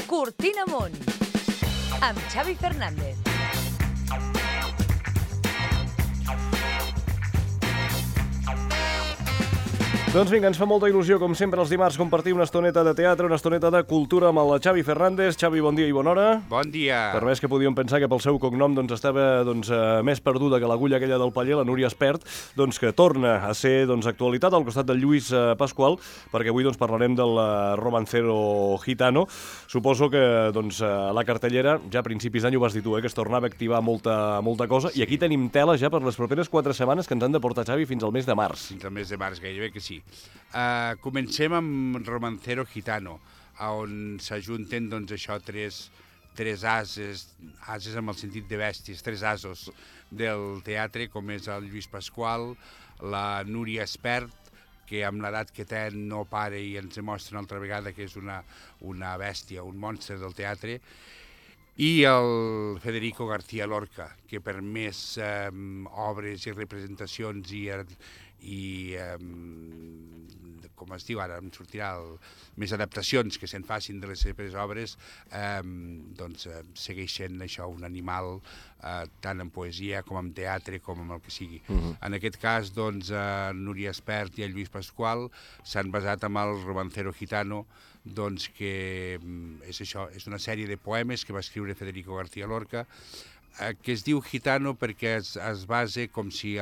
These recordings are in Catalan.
Cortina Amunt, amb Xavi Fernández. Doncs vinga, ens fa molta il·lusió, com sempre, els dimarts, compartir una estoneta de teatre, una estoneta de cultura amb el Xavi Fernández. Xavi, bon dia i bona hora. Bon dia. Per més que podíem pensar que pel seu cognom estava més perduda que l'agulla aquella del paller, la Núria Espert, que torna a ser actualitat al costat del Lluís Pasqual, perquè avui parlarem del romancero gitano. Suposo que la cartellera, ja a principis d'any ho vas dir tu, que es tornava a activar molta cosa, i aquí tenim tela ja per les properes 4 setmanes que ens han de portar, Xavi, fins al mes de març. Fins al mes de març, gairebé que sí. Comencem amb Romancero Gitano, on s'ajunten tres ases amb el sentit de bèsties, tres asos del teatre, com és el Lluís Pasqual, la Núria Espert, que amb l'edat que té no para i ens demostra una altra vegada que és una bèstia, un monstre del teatre, i el Federico García Lorca, que per més obres i representacions i com es diu ara, em sortirà més adaptacions que se'n facin de les seves obres, segueixen això, un animal, tant en poesia com en teatre com en el que sigui. En aquest cas, Núria Espert i el Lluís Pasqual s'han basat en el Romancero Gitano, que és això, és una sèrie de poemes que va escriure Federico García Lorca, que es diu Gitano perquè es basa com si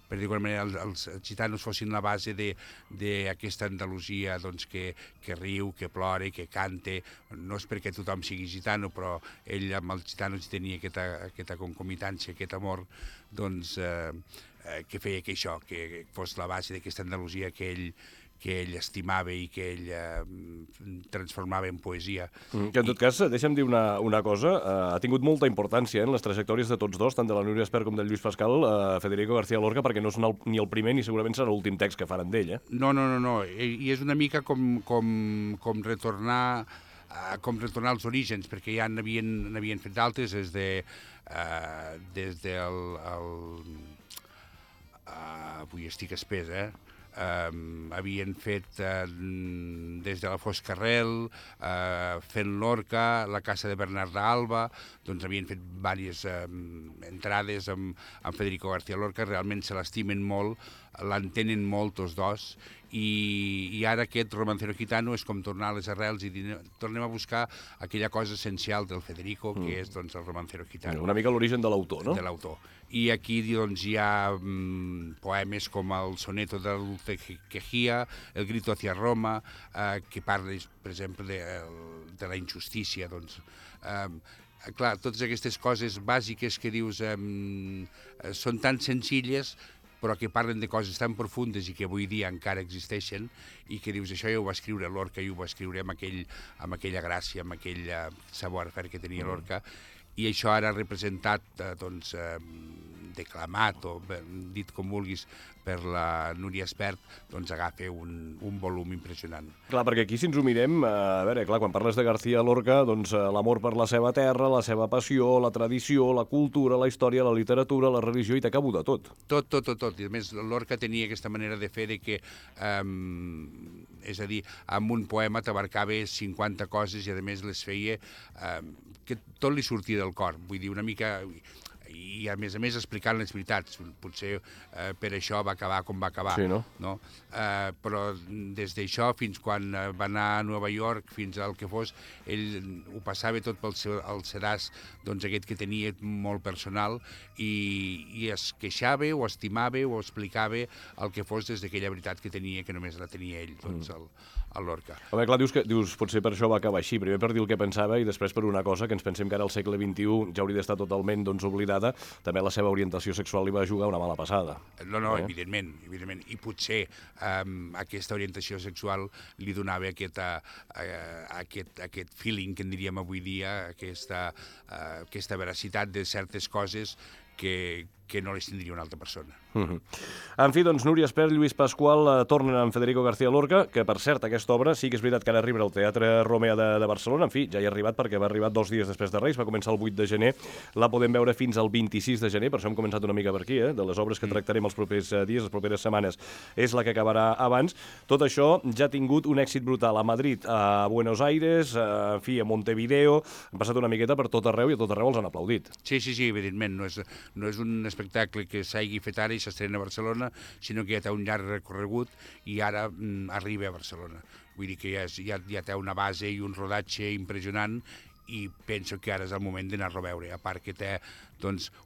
per dir-ho d'alguna manera, els gitanos fossin la base d'aquesta Andalusia que riu, que plora, que canta. No és perquè tothom sigui gitano, però ell amb els gitanos tenia aquesta concomitància, aquest amor, que feia que això, que fos la base d'aquesta Andalusia que ell estimava i que ell transformava en poesia. Que en tot cas, deixa'm dir una cosa, ha tingut molta importància en les trajectòries de tots dos, tant de la Núria Espert com del Lluís Pasqual, Federico García Lorca, perquè no és ni el primer ni segurament serà l'últim text que faran d'ell, eh? No, i és una mica com retornar als orígens, perquè ja n'havien fet d'altres des del... Avui estic espès, havien fet des de la Foscarrel, fent Lorca, la Casa de Bernarda Alba, havien fet diverses entrades amb Federico García Lorca, realment se l'estimen molt, l'entenen molt tots dos, i ara aquest Romancero Gitano és com tornar a les arrels i dir, tornem a buscar aquella cosa essencial del Federico, que és el Romancero Gitano. Una mica l'origen de l'autor, no? De l'autor. I aquí hi ha poemes com el Soneto de Dulce Quejía, El Grito hacia Roma, que parla, per exemple, de la injustícia. Clar, totes aquestes coses bàsiques que dius són tan senzilles, però que parlen de coses tan profundes i que avui dia encara existeixen, i que dius, això ja ho va escriure Lorca i ho va escriure amb aquella gràcia, amb aquell savoir-faire que tenia Lorca, i això ara representat, declamat o dit com vulguis per la Núria Espert, agafa un volum impressionant. Clar, perquè aquí si ens ho mirem, a veure, clar, quan parles de García Lorca, l'amor per la seva terra, la seva passió, la tradició, la cultura, la història, la literatura, la religió, i t'acabo de tot. Tot. I a més, Lorca tenia aquesta manera de fer que, és a dir, amb un poema t'abarcava 50 coses i a més les feia que tot li sortia del cor. Vull dir, una mica... i a més explicant les veritats. Potser per això va acabar com va acabar. Sí, no? Però des d'això fins quan va anar a Nova York, fins al que fos, ell ho passava tot pel sedàs aquest que tenia molt personal i es queixava o estimava o explicava el que fos des d'aquella veritat que tenia, que només la tenia ell, el Lorca. Home, clar, dius potser per això va acabar així, primer per dir el que pensava i després per una cosa que ens pensem que ara al segle XXI ja hauria d'estar totalment oblidada, també la seva orientació sexual li va jugar una mala passada. No, evidentment. I potser aquesta orientació sexual li donava aquest feeling que en diríem avui dia, aquesta veracitat de certes coses que no les tindria una altra persona. En fi, doncs, Núria Espert, Lluís Pasqual tornen amb Federico García Lorca, que, per cert, aquesta obra sí que és veritat que ara arriba al Teatre Romea de Barcelona. En fi, ja hi ha arribat perquè va arribar 2 dies després de Reis, va començar el 8 de gener, la podem veure fins al 26 de gener, per això hem començat una mica per aquí, de les obres que tractarem els propers dies, les properes setmanes, és la que acabarà abans. Tot això ja ha tingut un èxit brutal a Madrid, a Buenos Aires, en fi, a Montevideo, han passat una miqueta per tot arreu i a tot arreu els han aplaudit. Sí, evidentment, no és un espectacle que s'hagi fet ara i s'estrena a Barcelona, sinó que ja té un llarg recorregut i ara arriba a Barcelona. Vull dir que ja té una base i un rodatge impressionant i penso que ara és el moment d'anar-lo a veure, a part que té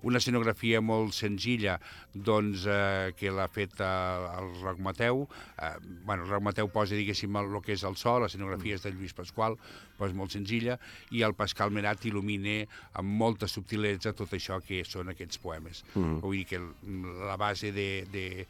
una escenografia molt senzilla que l'ha fet el Roc Mateu. El Roc Mateu posa, diguéssim, el que és el so, l'escenografia és de Lluís Pasqual, però és molt senzilla, i el Pascal Merat il·lumina amb molta subtilesa tot això que són aquests poemes. Vull dir que la base de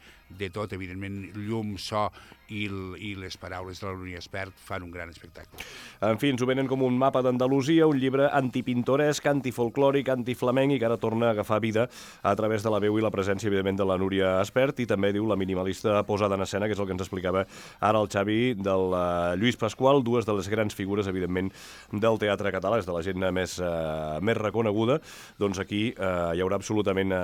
tot, evidentment, llum, so i les paraules de la Núria Espert fan un gran espectacle. En fi, ens ho venen com un mapa d'Andalusia, un llibre antipintoresc, antifolclòric, antiflamenc, i que ara torna a agafar vida a través de la veu i la presència, evidentment, de la Núria Espert, i també, diu, la minimalista posada en escena, que és el que ens explicava ara el Xavi, del Lluís Pasqual, dues de les grans figures, evidentment, del teatre català, és de la gent més reconeguda. Doncs aquí hi haurà absolutament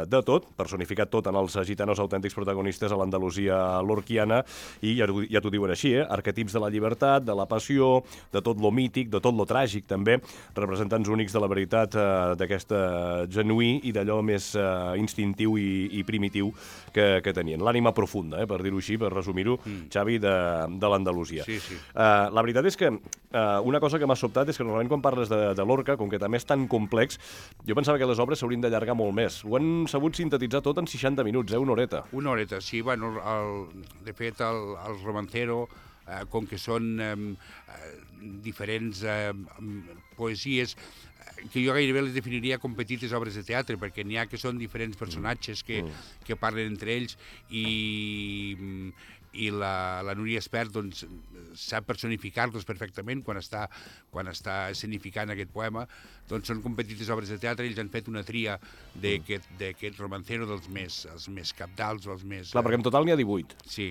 de tot, personificat tot en els gitanos autèntics protagonistes a l'Andalusia lorquiana, i ja t'ho diuen així, arquetips de la llibertat, de la passió, de tot lo mític, de tot lo tràgic, també, representants únics de la veritat d'aquesta genuí i d'allò més instintiu i primitiu que tenien. L'ànima profunda, per dir-ho així, per resumir-ho, Xavi, de l'Andalusia. Sí. La veritat és que una cosa que m'ha sobtat és que normalment quan parles de Lorca, com que també és tan complex, jo pensava que les obres s'haurien d'allargar molt més. Ho han sabut sintetitzar tot en 60 minuts, una horeta. Una horeta, sí. Bueno, de fet, el Romancero, com que són diferents poesies, que jo gairebé les definiria com petites obres de teatre, perquè n'hi ha que són diferents personatges que parlen entre ells, i la Núria Espert sap personificar-los perfectament quan està escenificant aquest poema. Són com petites obres de teatre, ells han fet una tria d'aquest Romancero els més cabdals o els més... Clar, perquè en total n'hi ha 18. Sí.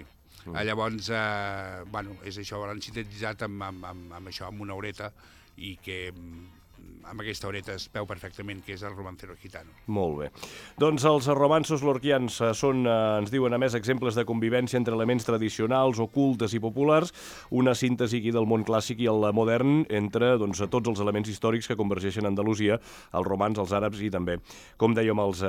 Llavors, és això, l'han sintetitzat amb això, amb una horeta, i que amb aquesta horeta es veu perfectament que és el Romancero gitano. Molt bé. Doncs els romanços lorquians són, ens diuen, a més, exemples de convivència entre elements tradicionals, ocultes i populars, una síntesi aquí del món clàssic i el modern entre tots els elements històrics que convergeixen a Andalusia, els romans, els àrabs i també, com dèiem, els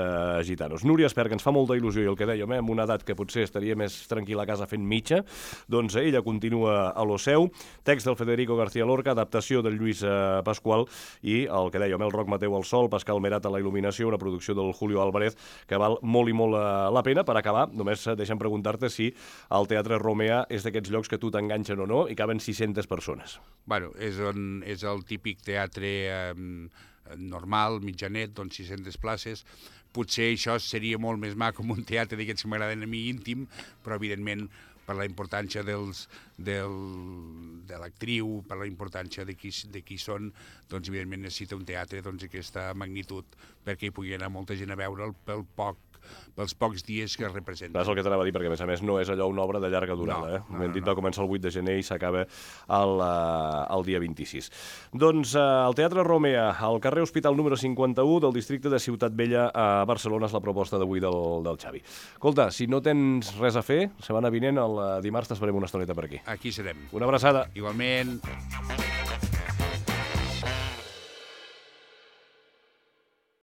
gitanos. Núria Espert, que ens fa molta il·lusió, i el que dèiem, amb una edat que potser estaria més tranquil·la a casa fent mitja, doncs ella continua a lo seu. Text del Federico García Lorca, adaptació del Lluís Pasqual, i el que dèiem, el Roc Mateu al sol, Pascal Merat a la il·luminació, una producció del Julio Álvarez que val molt i molt la pena. Per acabar, només deixa'm preguntar-te si el Teatre Romea és d'aquests llocs que tu t'enganxen o no i caben 600 persones. Bueno, és el típic teatre normal, mitjanet, 600 places. Potser això seria molt més maco com un teatre d'aquests que m'agraden a mi íntim, però evidentment per la importància de l'actriu, per la importància de qui són, doncs evidentment necessita un teatre d'aquesta magnitud perquè hi pugui anar molta gent a veure'l pels pocs dies que es representa. És el que t'anava a dir, perquè a més no és allò una obra de llarga durada. Hem dit, va començar el 8 de gener i s'acaba el dia 26. Doncs el Teatre Romea, al carrer Hospital número 51 del districte de Ciutat Vella a Barcelona, és la proposta d'avui del Xavi. Escolta, si no tens res a fer, setmana vinent, el dimarts t'esperem una estoneta per aquí. Aquí serem. Una abraçada. Igualment.